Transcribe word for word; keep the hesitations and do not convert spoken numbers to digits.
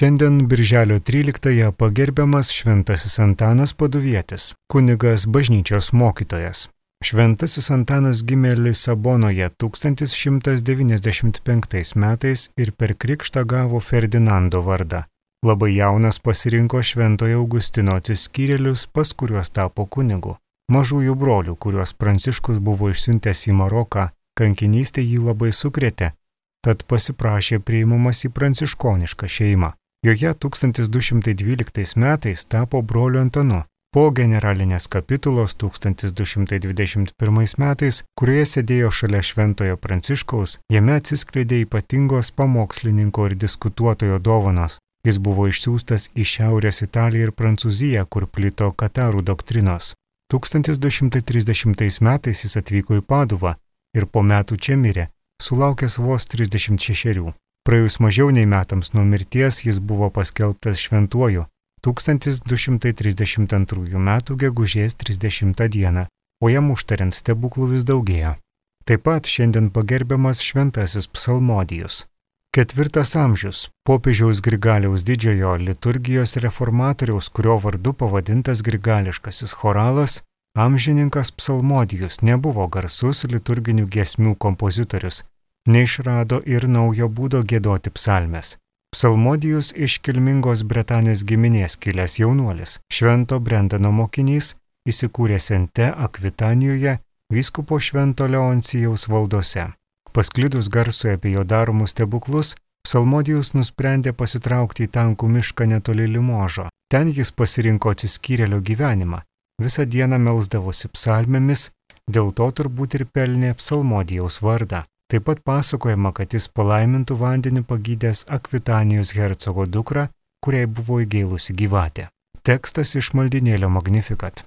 Šiandien birželio tryliktąją pagerbiamas Šventasis Antanas Paduvietis, kunigas bažnyčios mokytojas. Šventasis Antanas gimė Lisabonoje tūkstantis šimtas devyniasdešimt penktais metais ir per krikštą gavo Ferdinando vardą. Labai jaunas pasirinko Šventojo Augustino atsiskyrėlius, pas kuriuos tapo kunigu. Mažųjų brolių, kuriuos Pranciškus buvo išsiuntęs į Maroką, kankinystė jį labai sukrėtė, tad pasiprašė priimamas į pranciškonišką šeimą. Joje tūkstantis du šimtai dvyliktais metais tapo broliu Antanu. Po generalinės kapitulos tūkstantis du šimtai dvidešimt pirmais metais, kurioje sėdėjo šalia Šventojo Pranciškaus, jame atsiskleidė ypatingos pamokslininko ir diskutuotojo dovanos. Jis buvo išsiųstas į Šiaurės Italiją ir Prancūziją, kur plito katarų doktrinos. tūkstantis du šimtai trisdešimtais metais jis atvyko į Paduvą ir po metų čia mirė, sulaukęs vos trisdešimt šešerių. Praėjus mažiau nei metams nuo mirties jis buvo paskelbtas šventuoju tūkstantis du šimtai trisdešimt antrųjų metų gegužės trisdešimtą dieną, o jam užtariant stebuklų vis daugėjo. Taip pat šiandien pagerbiamas Šventasis Psalmodijus. Ketvirtas amžius, popiežiaus Grigaliaus didžiojo liturgijos reformatoriaus, kurio vardu pavadintas grigališkasis choralas, amžininkas Psalmodijus nebuvo garsus liturginių giesmių kompozitorius, neišrado ir naujo būdo giedoti psalmes. Psalmodijus iš kilmingos Bretanės giminės kilęs jaunuolis, Švento Brendano mokinys, įsikūręs Sente Akvitanijoje, vyskupo Švento Leoncijaus valdose. Pasklidus garsui apie jo daromus stebuklus, Psalmodijus nusprendė pasitraukti į tankų mišką netoli Limožo. Ten jis pasirinko atsiskyrėlio gyvenimą, visą dieną melsdavosi psalmėmis, dėl to turbūt ir pelnė Psalmodijaus vardą. Taip pat pasakojama, kad jis palaimintų vandenį pagydęs Akvitanijos hercogo dukrą, kuriai buvo įgėlusi gyvatė. Tekstas iš maldynėlio Magnificat.